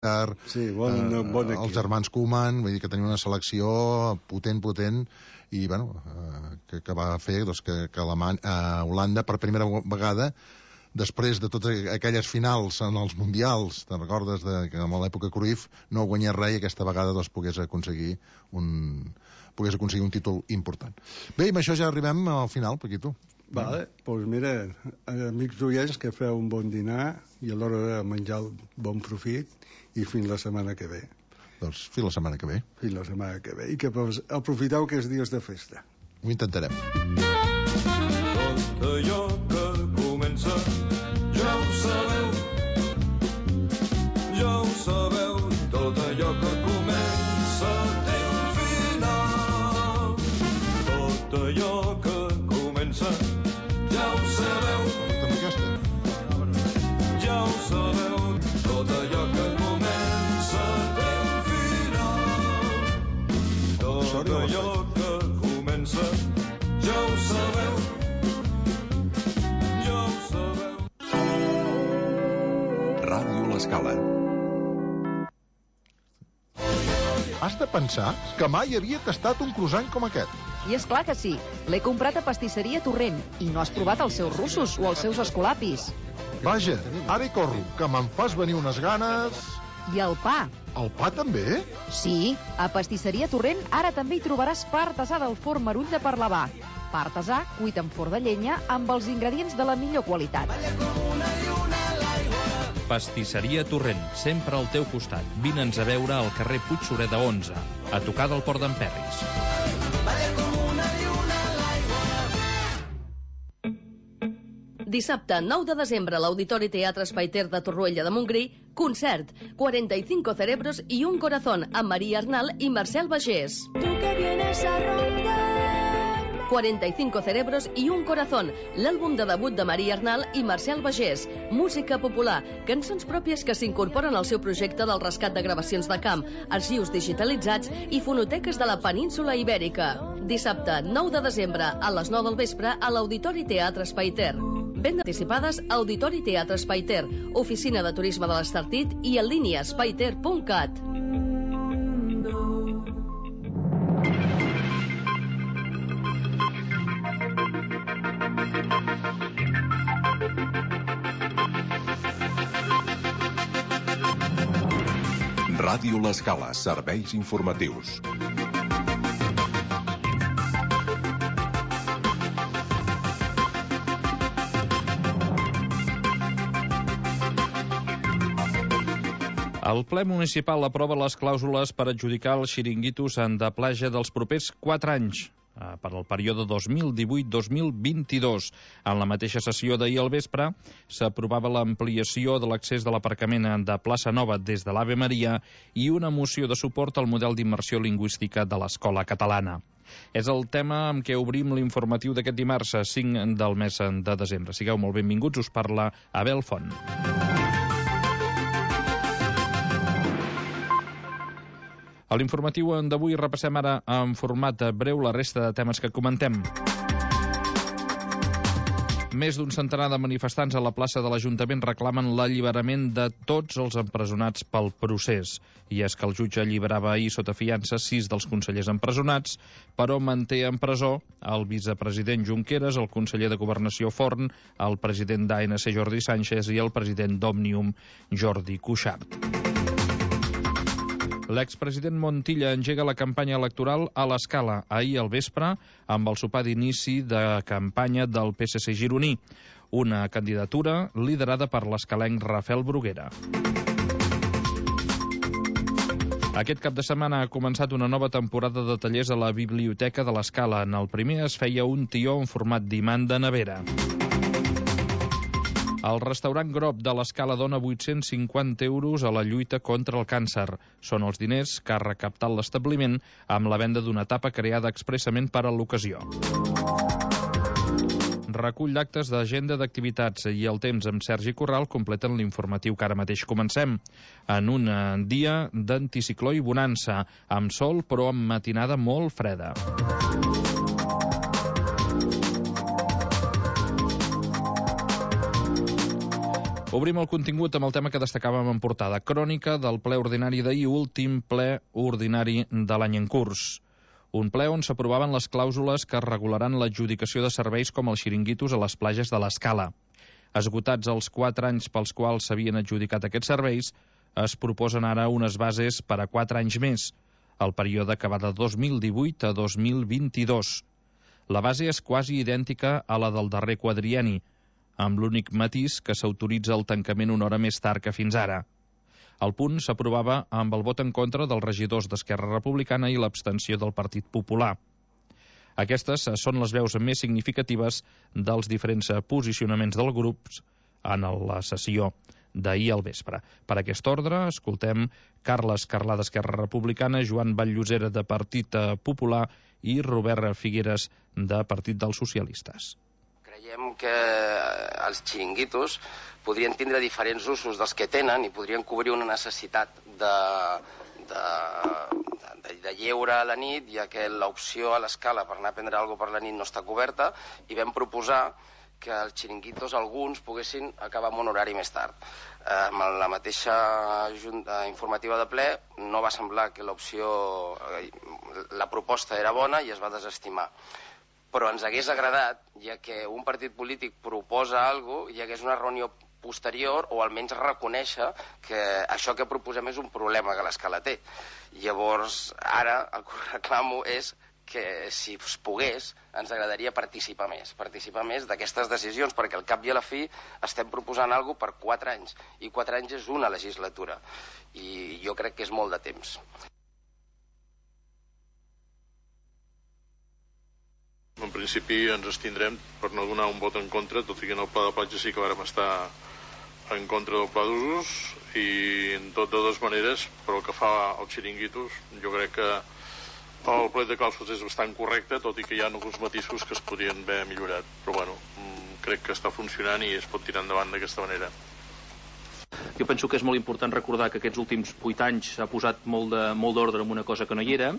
els germans Koeman, vull dir que tenia una selecció potent, i bueno, que va fer que Holanda per primera vegada, després de totes aquelles finals en els mundials, te'n recordes que en l'època Cruyff no guanyés res, i aquesta vegada pogués aconseguir un títol important. Bé, i amb això ja arribem al final, Paquito. Vale, doncs mira, amics oients, que feu un bon dinar i a l'hora de menjar el bon profit, i fins la setmana que ve. Doncs fins la setmana que ve. Fins la setmana que ve. I que aprofiteu aquests dies de festa. Ho intentarem. Tot allò que comença, ja ho sabeu. Ja ho sabeu. Tot allò que comença té un final. Tot allò que comença, ja ho sabeu. Ja ho sabeu. Tot allò que comença té un final. Tot allò que comença, ja ho sabeu. Ja ho sabeu. Ràdio L'Escala. Has de pensar que mai havia tastat un croissant com aquest. I és clar que sí. L'he comprat a Pastisseria Torrent i no has provat els seus russos o els seus escolapis. Vaja, ara hi corro, que me'n fas venir unes ganes... I el pa. El pa també? Sí, a Pastisseria Torrent ara també hi trobaràs pa artesà del forn Merull de Parlavà. Pa artesà cuit en forn de llenya amb els ingredients de la millor qualitat. Pastisseria Torrent, sempre al teu costat. Vine'ns a veure al carrer Puig Sureda 11, a tocar del Port d'en Perris. Dissabte, 9 de desembre, a l'Auditori Teatre Espai Ter de Torroella de Montgrí, concert, 45 cerebros y un corazón, amb Maria Arnal i Marcel Bagés. 45 cerebros y un corazón, l'àlbum de debut de Maria Arnal i Marcel Bagés. Música popular, cançons pròpies que s'incorporen al seu projecte del rescat de gravacions de camp, arxius digitalitzats i fonoteques de la península Ibèrica. Dissabte, 9 de desembre, a les 9 del vespre, a l'Auditori Teatre Espai Ter. Venda anticipades Auditori Teatre Espai Ter, Oficina de Turisme de l'Estartit i en línia espaiter.cat. Ràdio L'Escala, serveis informatius. El ple municipal aprova les clàusules per adjudicar els xiringuitos de platja dels propers 4 anys, per al període 2018-2022. En la mateixa sessió d'ahir al vespre s'aprovava l'ampliació de l'accés de l'aparcament de Plaça Nova des de l'Ave Maria i una moció de suport al model d'immersió lingüística de l'escola catalana. És el tema amb què obrim l'informatiu d'aquest dimarts 5 del mes de desembre. Sigueu molt benvinguts, us parla Abel Font. A l'informatiu d'avui repassem ara en format breu la resta de temes que comentem. Més d'un centenar de manifestants a la plaça de l'Ajuntament reclamen l'alliberament de tots els empresonats pel procés. I és que el jutge alliberava ahir sota fiança 6 dels consellers empresonats, però manté en presó el vicepresident Junqueras, el conseller de Governació Forn, el president d'ANC Jordi Sánchez i el president d'Òmnium Jordi Cuixart. L'expresident Montilla engega la campanya electoral a l'Escala ahir al vespre amb el sopar d'inici de campanya del PSC gironí, una candidatura liderada per l'escalenc Rafael Bruguera. Aquest cap de setmana ha començat una nova temporada de tallers a la Biblioteca de l'Escala. En el primer es feia un tió en format d'imant de nevera. El restaurant Grob de l'Escala dona 850 euros a la lluita contra el càncer. Són els diners que ha recaptat l'establiment amb la venda d'una tapa creada expressament per a l'ocasió. Recull d'actes d'agenda d'activitats i el temps amb Sergi Corral completen l'informatiu que ara mateix comencem. En un dia d'anticicló i bonança, amb sol però amb matinada molt freda. Obrim el contingut amb el tema que destacàvem en portada. Crònica del ple ordinari d'ahir, últim ple ordinari de l'any en curs. Un ple on s'aprovaven les clàusules que regularan l'adjudicació de serveis com els xiringuitos a les platges de l'Escala. Esgotats els 4 anys pels quals s'havien adjudicat aquests serveis, es proposen ara unes bases per a 4 anys més, el període que va de 2018 a 2022. La base és quasi idèntica a la del darrer quadrienni, amb l'únic matís que s'autoritza el tancament una hora més tard que fins ara. El punt s'aprovava amb el vot en contra dels regidors d'Esquerra Republicana i l'abstenció del Partit Popular. Aquestes són les veus més significatives dels diferents posicionaments dels grups en la sessió d'ahir al vespre. Per aquest ordre, escoltem Carles Carlà d'Esquerra Republicana, Joan Vall-Llosera de Partit Popular i Robert Figueres de Partit dels Socialistes. Creiem que els xiringuitos podrien tindre diferents usos dels que tenen i podrien cobrir una necessitat de lleure a la nit, ja que l'opció a l'Escala per anar a prendre alguna cosa per la nit no està coberta, i vam proposar que els xiringuitos, alguns, poguessin acabar amb un horari més tard. Amb la mateixa junta informativa de ple no va semblar que la proposta era bona i es va desestimar. Però ens hagués agradat, ja que un partit polític proposa alguna cosa, hi hagués una reunió posterior o almenys reconèixer que això que proposem és un problema que l'Escala té. Llavors, ara el que reclamo és que si es pogués, ens agradaria participar més d'aquestes decisions, perquè al cap i a la fi estem proposant alguna cosa per 4 anys, i 4 anys és una legislatura, i jo crec que és molt de temps. En principi ens abstindrem per no donar un vot en contra, tot i que en el pla de platja sí que vàrem estar en contra del pla d'usos, i en tot de dues maneres, però el que fa als xiringuitos, jo crec que el plec de clàusules és bastant correcte, tot i que hi ha alguns matisos que es podrien haver millorat, però bueno, crec que està funcionant i es pot tirar endavant d'aquesta manera. Jo penso que és molt important recordar que aquests últims 8 anys s'ha posat molt d'ordre en una cosa que no hi era,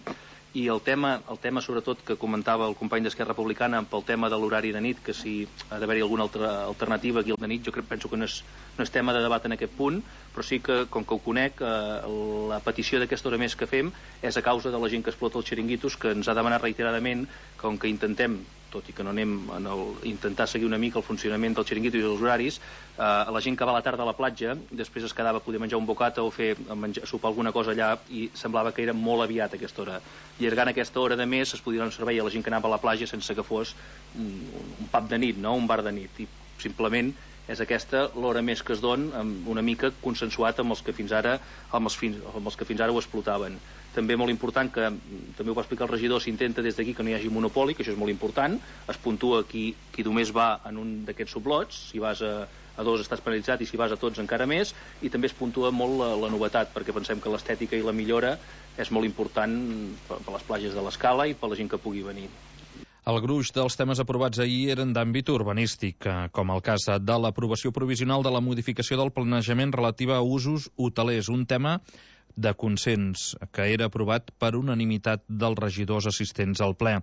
i el tema sobretot que comentava el company d'Esquerra Republicana pel tema de l'horari de nit, que si ha d'haver-hi alguna altra alternativa aquí al de nit, jo penso que no és tema de debat en aquest punt, però sí que, com que ho conec, la petició d'aquesta hora més que fem és a causa de la gent que explota els xiringuitos, que ens ha demanat reiteradament, com que intentem, tot i que no anem a intentar seguir una mica el funcionament del xiringuito i dels horaris, la gent que va a la tarda a la platja, després es quedava a poder menjar un bocata o sopar alguna cosa allà, i semblava que era molt aviat aquesta hora. Allargant aquesta hora de més es podia donar un servei a la gent que anava a la platja sense que fos un pub de nit, no? Un bar de nit, i simplement és aquesta l'hora més que es dona, una mica consensuat amb els que fins ara ho explotaven. També molt important, que també ho va explicar el regidor, s'intenta des d'aquí que no hi hagi monopoli, que això és molt important, es puntua qui només va en un d'aquests sublots, si vas a 2 estàs penalitzat i si vas a tots encara més, i també es puntua molt la novetat, perquè pensem que l'estètica i la millora és molt important per les platges de l'Escala i per la gent que pugui venir. El gruix dels temes aprovats ahir eren d'àmbit urbanístic, com el cas de l'aprovació provisional de la modificació del planejament relativa a usos hotelers, un tema de consens que era aprovat per unanimitat dels regidors assistents al ple.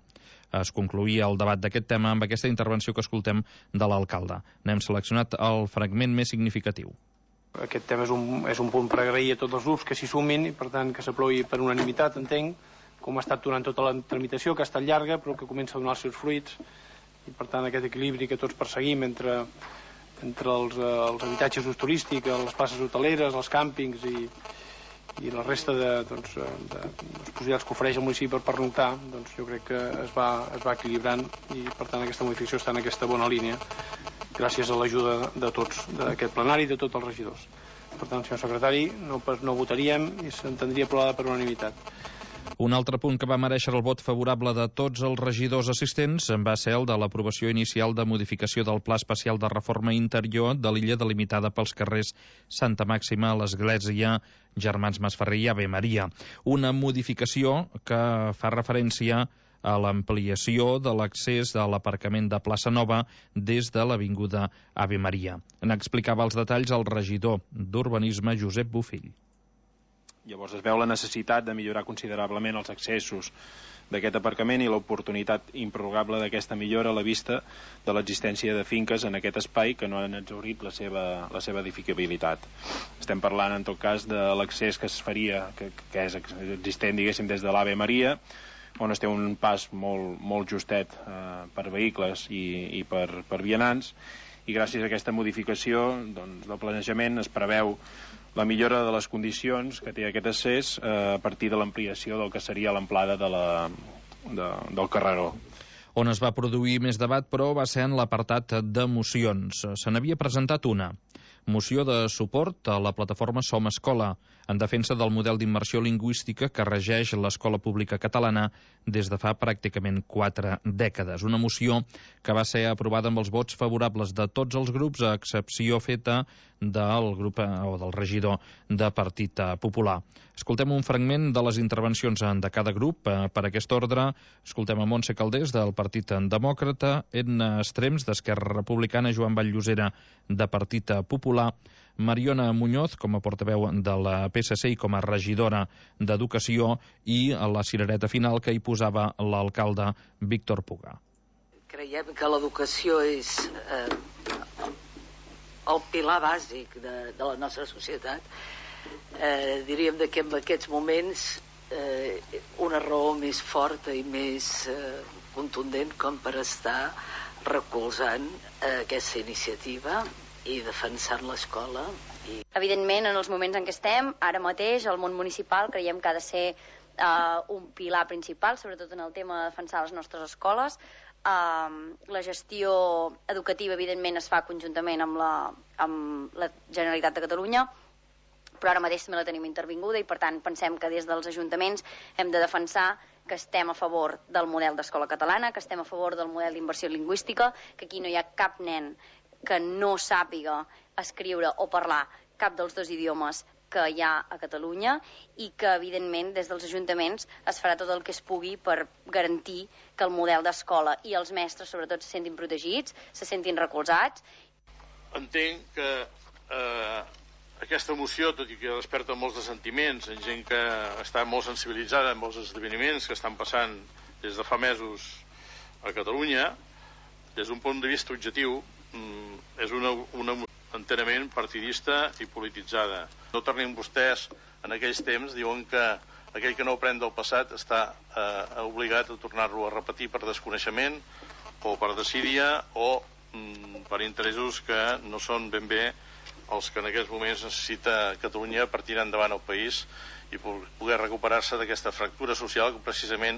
Es concloïa el debat d'aquest tema amb aquesta intervenció que escoltem de l'alcalde. N'hem seleccionat el fragment més significatiu. Aquest tema és un punt per agrair a tots els grups que s'hi sumin i, per tant, que s'aprovi per unanimitat, entenc, com ha estat durant tota la tramitació, que ha estat llarga, però que comença a donar els seus fruits, i, per tant, aquest equilibri que tots perseguim entre els habitatges d'ús turístic, les places hoteleres, els càmpings i la resta de possibilitats que ofereix el municipi per pernoctar, doncs jo crec que es va equilibrant, i, per tant, aquesta modificació està en aquesta bona línia, gràcies a l'ajuda de tots, d'aquest plenari i de tots els regidors. Per tant, senyor secretari, no votaríem i s'entendria aprovada per unanimitat. Un altre punt que va mereixer el vot favorable de tots els regidors assistents va ser el de l'aprovació inicial de modificació del Pla Especial de Reforma Interior de l'illa delimitada pels carrers Santa Màxima, l'Església, Germans Masferrer i Ave Maria. Una modificació que fa referència a l'ampliació de l'accés a l'aparcament de Plaça Nova des de l'avinguda Ave Maria. N'explicava els detalls el regidor d'Urbanisme, Josep Bofill. Llavors es veu la necessitat de millorar considerablement els accessos d'aquest aparcament i l'oportunitat improrrogable d'aquesta millora a la vista de l'existència de finques en aquest espai que no han exhaurit la seva edificabilitat. Estem parlant, en tot cas, de l'accés que es faria, que és existent, diguéssim, des de l'Ave Maria, on es té un pas molt justet per vehicles i per vianants, i gràcies a aquesta modificació del planejament es preveu la millora de les condicions que té aquest accés a partir de l'ampliació del que seria l'amplada del carreró. On es va produir més debat, però, va ser en l'apartat de mocions. Se n'havia presentat una. Moció de suport a la plataforma Som Escola, en defensa del model d'immersió lingüística que regeix l'escola pública catalana des de fa pràcticament 4 dècades. Una moció que va ser aprovada amb els vots favorables de tots els grups, a excepció feta del grup o del regidor de Partit Popular. Escoltem un fragment de les intervencions de cada grup. Per aquest ordre, escoltem a Montse Calders, del Partit Demòcrata, Edna Estrems, d'Esquerra Republicana, Joan Vallllosera, de Partit Popular, Mariona Muñoz, com a portaveu de la PSC i com a regidora d'Educació, i a la cirereta final que hi posava l'alcalde Víctor Puga. Creiem que l'educació és el pilar bàsic de la nostra societat. Diríem que en aquests moments una raó més forta i més contundent com per estar recolzant aquesta iniciativa i defensant l'escola. Evidentment, en els moments en què estem, ara mateix, el món municipal creiem que ha de ser un pilar principal, sobretot en el tema de defensar les nostres escoles. La gestió educativa, evidentment, es fa conjuntament amb la Generalitat de Catalunya, però ara mateix també la tenim intervinguda i, per tant, pensem que des dels ajuntaments hem de defensar que estem a favor del model d'escola catalana, que estem a favor del model d'immersió lingüística, que aquí no hi ha cap nen que no sàpiga escriure o parlar cap dels 2 idiomes que hi ha a Catalunya i que, evidentment, des dels ajuntaments es farà tot el que es pugui per garantir que el model d'escola i els mestres, sobretot, se sentin protegits, se sentin recolzats. Entenc que aquesta moció, tot i que desperta molts de sentiments en gent que està molt sensibilitzada amb els esdeveniments que estan passant des de fa mesos a Catalunya, des d'un punt de vista objectiu, és una enterament partidista i polititzada. No tornin vostès, en aquells temps, diuen que aquell que no aprèn del passat està obligat a tornar-lo a repetir per desconeixement o per desídia o per interessos que no són ben bé els que en aquests moments necessita Catalunya per tirar endavant el país i poder recuperar-se d'aquesta fractura social que precisament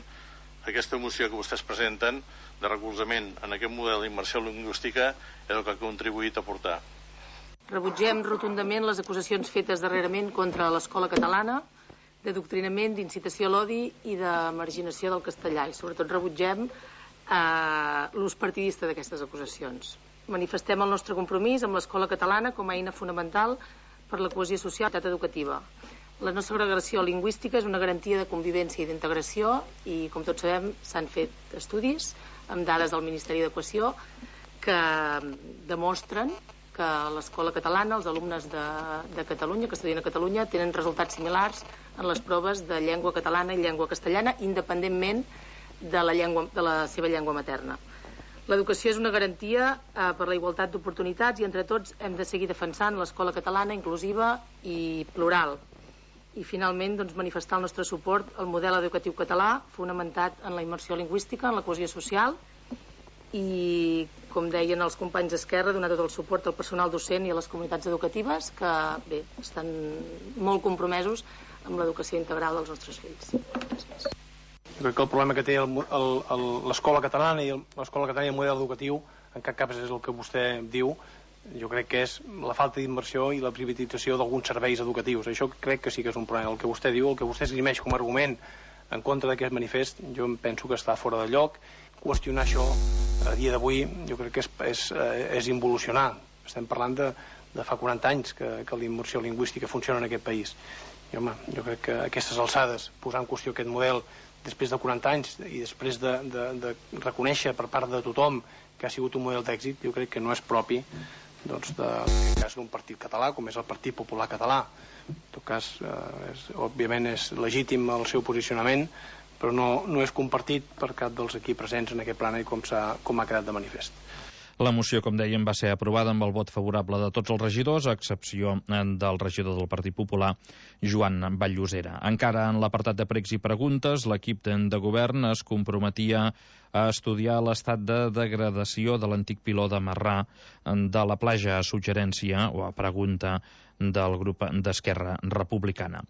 aquesta moció que vostès presenten de recolzament en aquest model d'immersió lingüística és el que ha contribuït a portar. Rebutgem rotundament les acusacions fetes darrerament contra l'escola catalana d'adoctrinament, d'incitació a l'odi i de marginació del castellà, i sobretot rebutgem l'ús partidista d'aquestes acusacions. Manifestem el nostre compromís amb l'escola catalana com a eina fonamental per la cohesió social i l'equitat educativa. La no segregació lingüística és una garantia de convivència i d'integració i, com tots sabem, s'han fet estudis amb dades del Ministeri d'Educació que demostren que a l'escola catalana, els alumnes de Catalunya, que estudien a Catalunya, tenen resultats similars en les proves de llengua catalana i llengua castellana, independentment de la seva llengua materna. L'educació és una garantia per la igualtat d'oportunitats i entre tots hem de seguir defensant l'escola catalana inclusiva i plural. I finalment manifestar el nostre suport al model educatiu català fonamentat en la immersió lingüística, en la cohesió social i, com deien els companys d'Esquerra, donar tot el suport al personal docent i a les comunitats educatives que estan molt compromesos amb l'educació integral dels nostres fills. Gràcies. Jo crec que el problema que té l'escola catalana i el model educatiu en cap cas és el que vostè diu. Jo crec que és la falta d'inversió i la privatització d'alguns serveis educatius. Això crec que sí que és un problema. El que vostè diu, el que vostè esgrimeix com a argument en contra d'aquest manifest, jo penso que està fora de lloc. Qüestionar això a dia d'avui jo crec que és involucionar. Estem parlant de fa 40 anys que la immersió lingüística funciona en aquest país. I, home, jo crec que a aquestes alçades, posar en qüestió aquest model després de 40 anys i després de reconèixer per part de tothom que ha sigut un model d'èxit, jo crec que no és propi doncs, en cas d'un partit català, com és el Partit Popular Català. En tot cas, òbviament és legítim el seu posicionament, però no és compartit per cap dels aquí presents en aquest plena i com ha quedat de manifest. La moció, com dèiem, va ser aprovada amb el vot favorable de tots els regidors, a excepció del regidor del Partit Popular, Joan Vall-llosera. Encara en l'apartat de pregs i preguntes, l'equip de govern es comprometia a estudiar l'estat de degradació de l'antic piló de Marrà de la platja, a suggerència o a pregunta del grup d'Esquerra Republicana.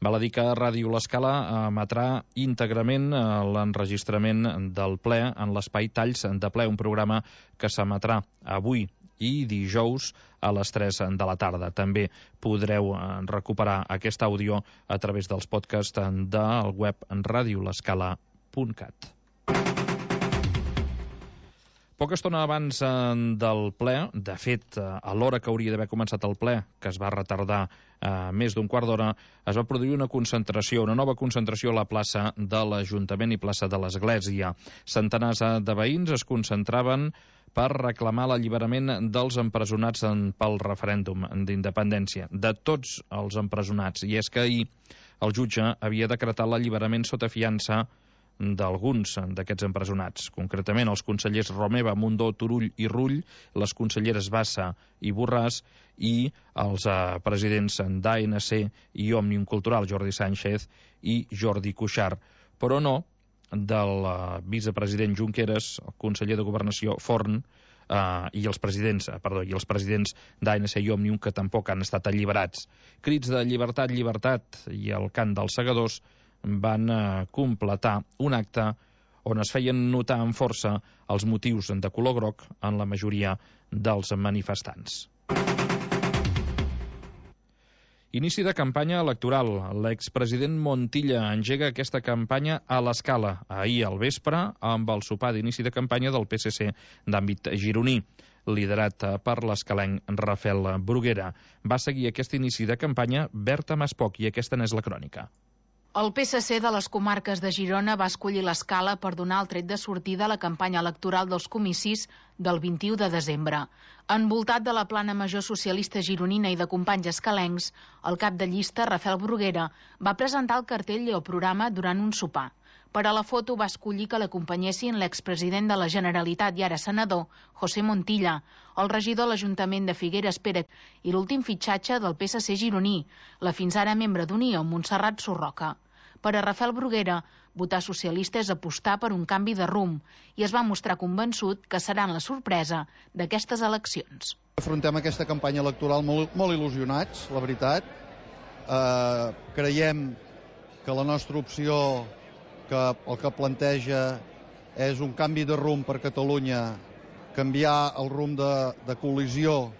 Val a dir que Ràdio L'Escala emetrà íntegrament l'enregistrament del ple en l'espai Talls de ple, un programa que s'emetrà avui i dijous a les 3 de la tarda. També podreu recuperar aquest àudio a través dels podcasts del web radiolescala.cat. Poca estona abans del ple, de fet, a l'hora que hauria d'haver començat el ple, que es va retardar més d'un quart d'hora, es va produir una concentració, una nova concentració a la plaça de l'Ajuntament i plaça de l'Església. Centenars de veïns es concentraven per reclamar l'alliberament dels empresonats pel referèndum d'independència, de tots els empresonats. I és que ahir el jutge havia decretat l'alliberament sota fiança d'alguns d'aquests empresonats, concretament els consellers Romeva, Mundó, Turull i Rull, les conselleres Bassa i Borràs i els presidents d'ANC i Òmnium Cultural, Jordi Sánchez i Jordi Cuixart, però no del vicepresident Junqueras, el conseller de Governació Forn i els presidents d'ANC i Òmnium, que tampoc han estat alliberats. Crits de llibertat, llibertat i el cant dels segadors van completar un acte on es feien notar amb força els motius de color groc en la majoria dels manifestants. Inici de campanya electoral. L'expresident Montilla engega aquesta campanya a l'Escala ahir al vespre amb el sopar d'inici de campanya del PSC d'àmbit gironí, liderat per l'escalenc Rafael Bruguera. Va seguir aquest inici de campanya Berta Maspoch i aquesta n'és la crònica. El PSC de les comarques de Girona va escollir l'Escala per donar el tret de sortida a la campanya electoral dels comicis del 21 de desembre. Envoltat de la plana major socialista gironina i de companys escalencs, el cap de llista, Rafael Bruguera, va presentar el cartell i el programa durant un sopar. Per a la foto va escollir que l'acompanyessin l'expresident de la Generalitat i ara senador, José Montilla, el regidor de l'Ajuntament de Figueres, Pere, i l'últim fitxatge del PSC gironí, la fins ara membre d'Unió, Montserrat Sorroca. Per a Rafael Bruguera, votar socialista és apostar per un canvi de rumb i es va mostrar convençut que seran la sorpresa d'aquestes eleccions. Afrontem aquesta campanya electoral molt il·lusionats, la veritat. Creiem que la nostra opció, que el que planteja és un canvi de rumb per Catalunya, canviar el rumb de col·lisió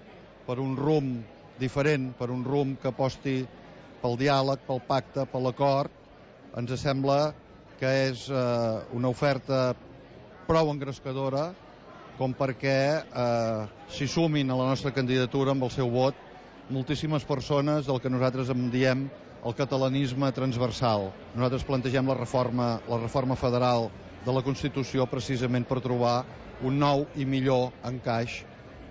per un rumb diferent, per un rumb que aposti pel diàleg, pel pacte, per l'acord. Ens sembla que és una oferta prou engrescadora com perquè s'hi sumin a la nostra candidatura amb el seu vot moltíssimes persones del que nosaltres en diem el catalanisme transversal. Nosaltres plantegem la reforma federal de la Constitució precisament per trobar un nou i millor encaix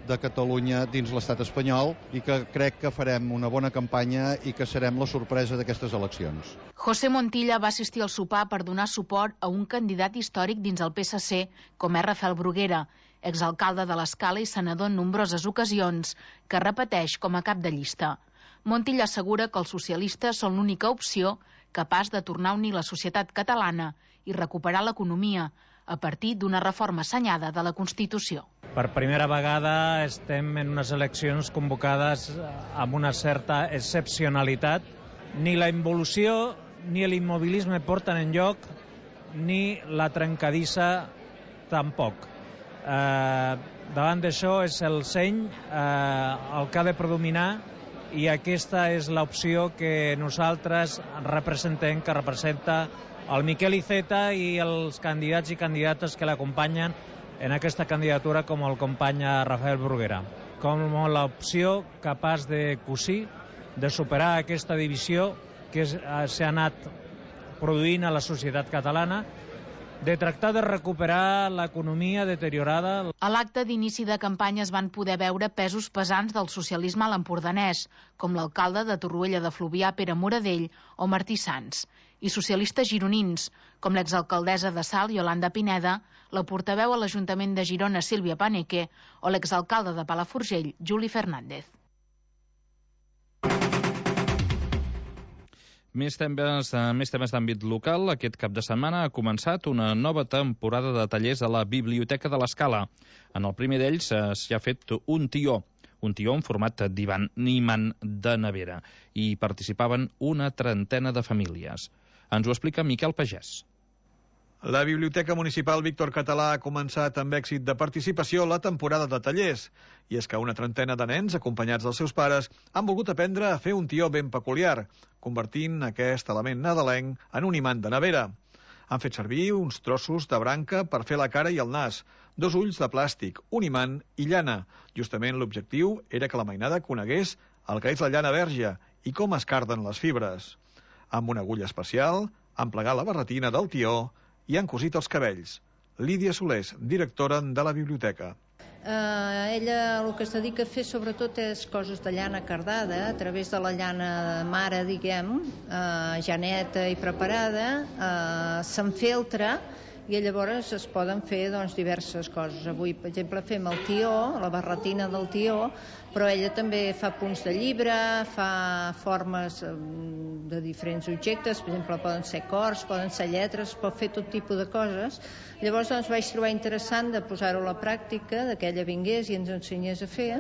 de Catalunya dins l'estat espanyol i que crec que farem una bona campanya i que serem la sorpresa d'aquestes eleccions. José Montilla va assistir al sopar per donar suport a un candidat històric dins el PSC, com és Rafael Bruguera, exalcalde de l'Escala i senador en nombroses ocasions, que repeteix com a cap de llista. Montilla assegura que els socialistes són l'única opció capaç de tornar a unir la societat catalana i recuperar l'economia, a partir d'una reforma assenyada de la Constitució. Per primera vegada estem en unes eleccions convocades amb una certa excepcionalitat. Ni la involució ni l'immobilisme porten enlloc, ni la trencadissa tampoc. Davant d'això és el seny el que ha de predominar i aquesta és l'opció que nosaltres representem, que representa el Miquel Iceta i els candidats i candidates que l'acompanyen en aquesta candidatura, com el company Rafael Bruguera, com l'opció capaç de cosir, de superar aquesta divisió que s'ha anat produint a la societat catalana de tractar de recuperar l'economia deteriorada. A l'acte d'inici de campanya es van poder veure pesos pesants del socialisme a l'empordanès, com l'alcalde de Torroella de Fluvià, Pere Moradell, o Martí Sans, i socialistes gironins, com l'exalcaldessa de Salt, Yolanda Pineda, la portaveu a l'Ajuntament de Girona, Sílvia Paneque, o l'exalcalde de Palafrugell, Juli Fernández. Més temes d'àmbit local. Aquest cap de setmana ha començat una nova temporada de tallers a la Biblioteca de l'Escala. En el primer d'ells s'hi ha fet un tió en format d'imant de nevera. Hi participaven una trentena de famílies. Ens ho explica Miquel Pagès. La Biblioteca Municipal Víctor Català ha començat amb èxit de participació la temporada de tallers. I és que una trentena de nens, acompanyats dels seus pares, han volgut aprendre a fer un tió ben peculiar, convertint aquest element nadalenc en un imant de nevera. Han fet servir uns trossos de branca per fer la cara i el nas, 2 ulls de plàstic, un imant i llana. Justament l'objectiu era que la mainada conegués el que és la llana verge i com es carden les fibres. Amb una agulla especial, han plegat la barretina del tió i han cosit els cabells. Lídia Solés, directora de la biblioteca. Ella el que es dedica a fer sobretot és coses de llana cardada, a través de la llana mare, diguem, ja neta i preparada, s'enfeltra i llavors es poden fer diverses coses. Avui, per exemple, fem el tió, la barretina del tió, però ella també fa punts de llibre, fa formes de diferents objectes, per exemple, poden ser cors, poden ser lletres, pot fer tot tipus de coses. Llavors vaig trobar interessant de posar-ho a la pràctica, que ella vingués i ens ensenyés a fer,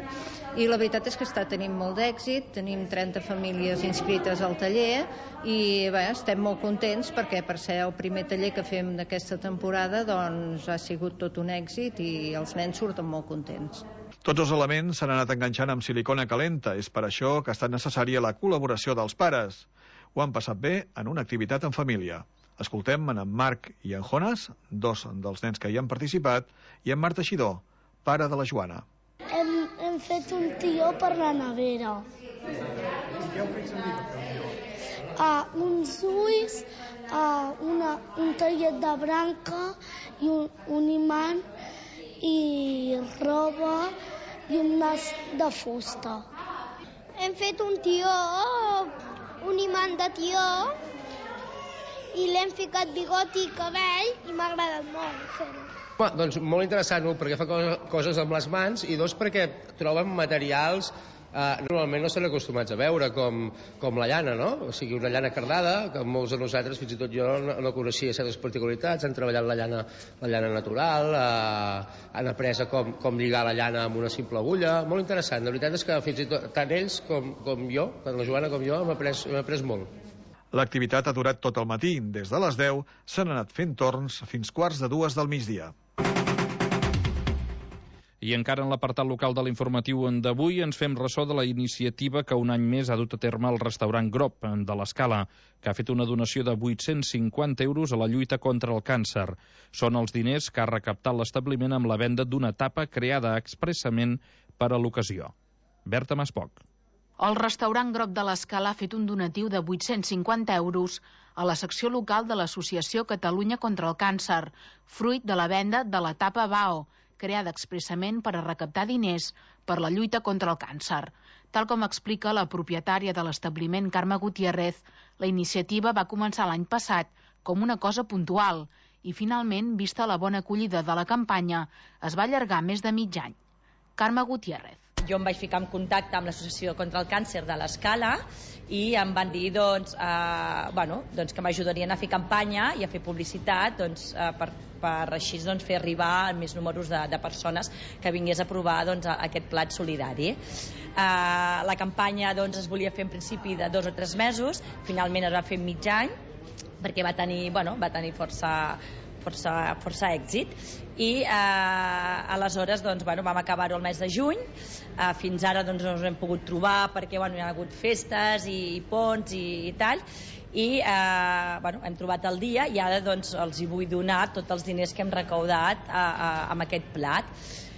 i la veritat és que està tenint molt d'èxit, tenim 30 famílies inscrites al taller i estem molt contents perquè per ser el primer taller que fem d'aquesta temporada ha sigut tot un èxit i els nens surten molt contents. Tots els elements s'han anat enganxant amb silicona calenta. És per això que ha estat necessària la col·laboració dels pares. Ho han passat bé en una activitat en família. Escoltem en Marc i en Jonas, 2 dels nens que hi han participat, i en Marc Teixidor, pare de la Joana. Hem fet un tió per la nevera. Què heu fet servir per fer un tió? Uns ulls, un tallet de branca i un imant i roba i un nas de fusta. Hem fet un tió, un imant de tió, i l'hem ficat bigoti i cabell i m'ha agradat molt fer-ho. Doncs molt interessant, perquè fa coses amb les mans i 2 perquè troben materials normalment no estan acostumats a veure, com la llana, no? O sigui, una llana cardada, que molts de nosaltres, fins i tot jo, no coneixia certes particularitats, han treballat la llana natural, han après com lligar la llana amb una simple agulla, molt interessant. La veritat és que fins i tot tant ells com jo, tant la Joana com jo, hem après molt. L'activitat ha durat tot el matí. Des de les 10 s'han anat fent torns fins 1:45 del migdia. I encara en l'apartat local de l'informatiu d'avui ens fem ressò de la iniciativa que un any més ha dut a terme el restaurant Grop de l'Escala, que ha fet una donació de 850 euros a la lluita contra el càncer. Són els diners que ha recaptat l'establiment amb la venda d'una tapa creada expressament per a l'ocasió. Berta Maspoc. El restaurant Grop de l'Escala ha fet un donatiu de 850 euros a la secció local de l'Associació Catalunya contra el Càncer, fruit de la venda de la tapa BAO, creada expressament per a recaptar diners per la lluita contra el càncer. Tal com explica la propietària de l'establiment, Carme Gutiérrez, la iniciativa va començar l'any passat com una cosa puntual i finalment, vista la bona acollida de la campanya, es va allargar més de mig any. Carme Gutiérrez. Jo em vaig ficar en contacte amb l'Associació contra el Càncer de l'Escala i em van dir que m'ajudarien a fer campanya i a fer publicitat per així fer arribar més números de persones que vingués a provar aquest plat solidari. La campanya es volia fer en principi de 2 o 3 mesos, finalment es va fer mig any perquè va tenir força èxit i aleshores vam acabar-ho el mes de juny. Fins ara no ens hem pogut trobar perquè hi ha hagut festes i ponts i tal, i hem trobat el dia i ara els hi vull donar tots els diners que hem recaudat amb aquest plat.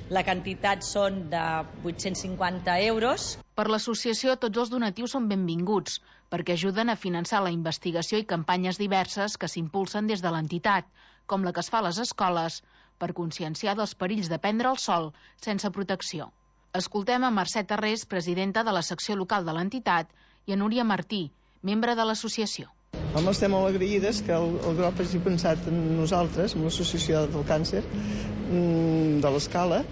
La quantitat són de 850 euros. Per l'associació, tots els donatius són benvinguts, perquè ajuden a finançar la investigació i campanyes diverses que s'impulsen des de l'entitat, com la que es fa a les escoles, per conscienciar dels perills de prendre el sol sense protecció. Escoltem a Mercè Tarrés, presidenta de la secció local de l'entitat, i a Núria Martí, membre de l'associació. Home, estem molt agraïdes que el grup hagi pensat en nosaltres, en l'Associació del Càncer de l'Escala,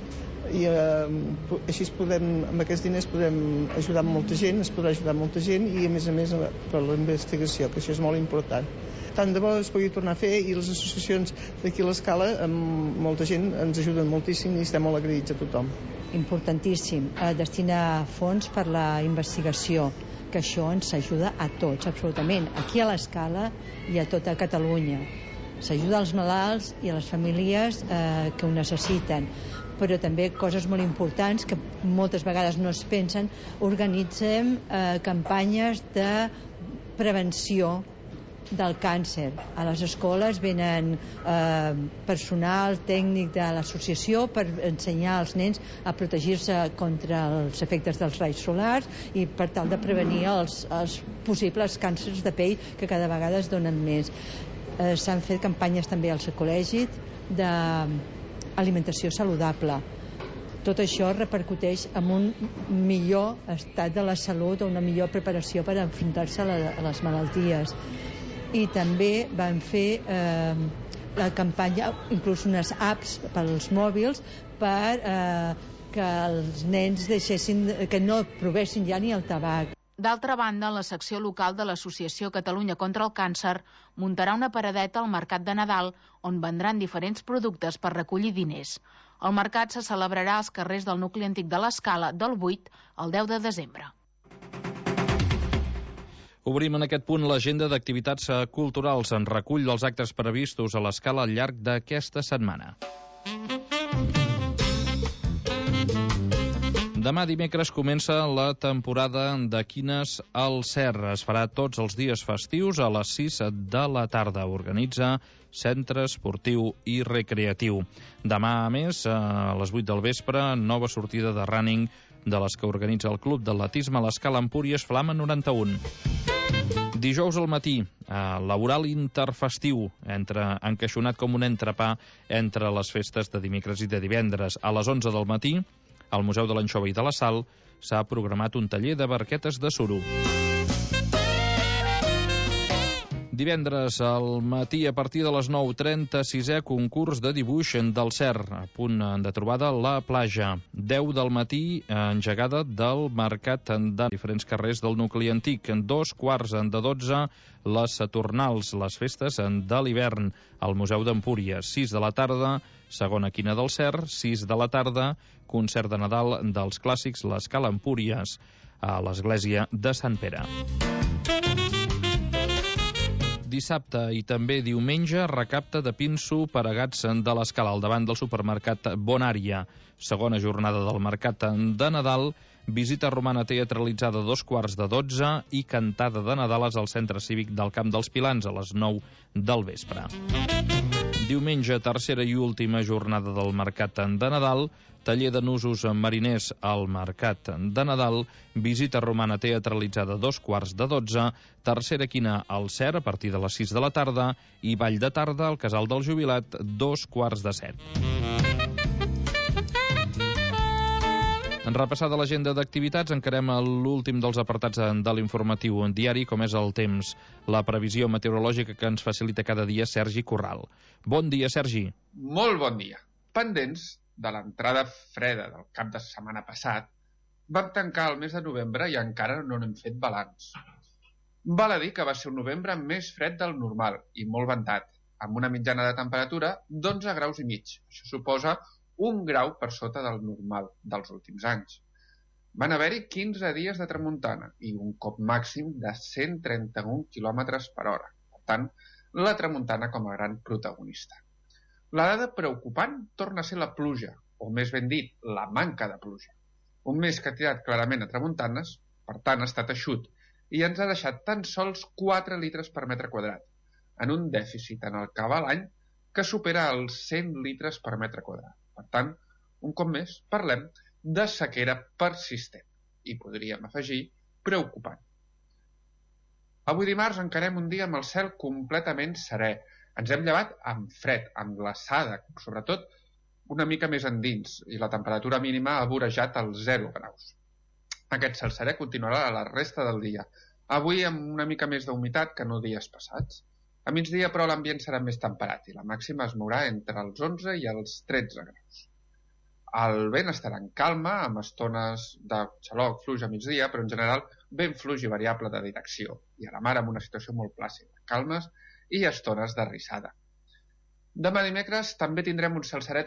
i així amb aquests diners podem ajudar molta gent, es podrà ajudar molta gent i a més per la investigació, que això és molt important. Tant de bo es pugui tornar a fer i les associacions d'aquí a l'Escala amb molta gent ens ajuden moltíssim i estem molt agraïts a tothom. Importantíssim, destinar fons per la investigació, que això ens ajuda a tots, absolutament, aquí a l'Escala i a tota Catalunya. S'ajuda als malalts i a les famílies que ho necessiten, però també coses molt importants que moltes vegades no es pensen. Organitzem campanyes de prevenció del càncer. A les escoles venen personal tècnic de l'associació per ensenyar als nens a protegir-se contra els efectes dels raigs solars i per tal de prevenir els possibles càncers de pell que cada vegada es donen més. S'han fet campanyes també al col·legi d'alimentació saludable. Tot això repercuteix en un millor estat de la salut o una millor preparació per enfrontar-se a les malalties. I també van fer la campanya, inclús unes apps pels mòbils per que els nens que no provessin ja ni el tabac. D'altra banda, la secció local de l'Associació Catalunya contra el Càncer muntarà una paradeta al Mercat de Nadal on vendran diferents productes per recollir diners. El mercat se celebrarà als carrers del nucli antic de l'Escala del 8 al 10 de desembre. Obrim en aquest punt l'agenda d'activitats culturals en recull dels actes previstos a l'Escala al llarg d'aquesta setmana. Demà dimecres comença la temporada de quines al Cer. Es farà tots els dies festius a les 6 de la tarda. Organitza Centre Esportiu i Recreatiu. Demà, a més, a les 8 del vespre, nova sortida de running de les que organitza el Club d'Atletisme a l'Escala Empúries Flama 91. Dijous al matí, laboral interfestiu, encaixonat com un entrepà entre les festes de dimecres i de divendres. A les 11 del matí, al Museu de l'Anxova i de la Sal s'ha programat un taller de barquetes de suro. Divendres al matí, a partir de les 9:30, 6è concurs de dibuix del Cer, a punt de trobada a la platja. 10 del matí, engegada del mercat de diferents carrers del nucli antic. 2:15 les Saturnals, les festes de l'hivern, al Museu d'Empúries. 6 de la tarda, segona quina del Cer. 6 de la tarda, concert de Nadal dels clàssics, l'Escala Empúries, a l'església de Sant Pere. Dissabte i també diumenge, recapte de pinso per a gats de l'Escala al davant del supermercat Bonària. Segona jornada del mercat de Nadal, visita romana teatralitzada a 11:15 i cantada de Nadales al Centre Cívic del Camp dels Pilans a les 9 del vespre. Diumenge, tercera i última jornada del mercat de Nadal, taller de nusos mariners al mercat de Nadal, visita romana teatralitzada a 11:15, tercera quina al Cer a partir de les 6 de la tarda i ball de tarda al Casal del Jubilat 6:45. En repassada l'agenda d'activitats, encarem l'últim dels apartats de l'informatiu diari, com és el temps, la previsió meteorològica que ens facilita cada dia Sergi Corral. Bon dia, Sergi. Molt bon dia. Pendents de l'entrada freda del cap de setmana passat, vam tancar el mes de novembre i encara no n'hem fet balanç. Val a dir que va ser un novembre més fred del normal i molt ventat, amb una mitjana de temperatura d'11 graus i mig. Això suposa 1 grau per sota del normal dels últims anys. Van haver-hi 15 dies de tramuntana i un cop màxim de 131 km per hora. Per tant, la tramuntana com a gran protagonista. La dada preocupant torna a ser la pluja, o més ben dit, la manca de pluja. Un mes que ha tirat clarament a tramuntanes, per tant ha estat eixut, i ens ha deixat tan sols 4 litres per metre quadrat, en un dèficit en el que va l'any que supera els 100 litres per metre quadrat. Per tant, un cop més, parlem de sequera persistent i podríem afegir preocupant. Avui dimarts encarem un dia amb el cel completament serè, Ens hem llevat amb fred, amb glaçada, sobretot una mica més endins, i la temperatura mínima ha vorejat els 0 graus. Aquest cel serè continuarà a la resta del dia, avui amb una mica més d'humitat que no dies passats. A migdia, però, l'ambient serà més temperat i la màxima es mourà entre els 11 i els 13 graus. El vent estarà en calma, amb estones de xaloc fluix a migdia, però en general vent fluix i variable de direcció, i a la mar amb una situació molt plàcida, calmes i estones de rissada. Demà dimecres també tindrem un cel serè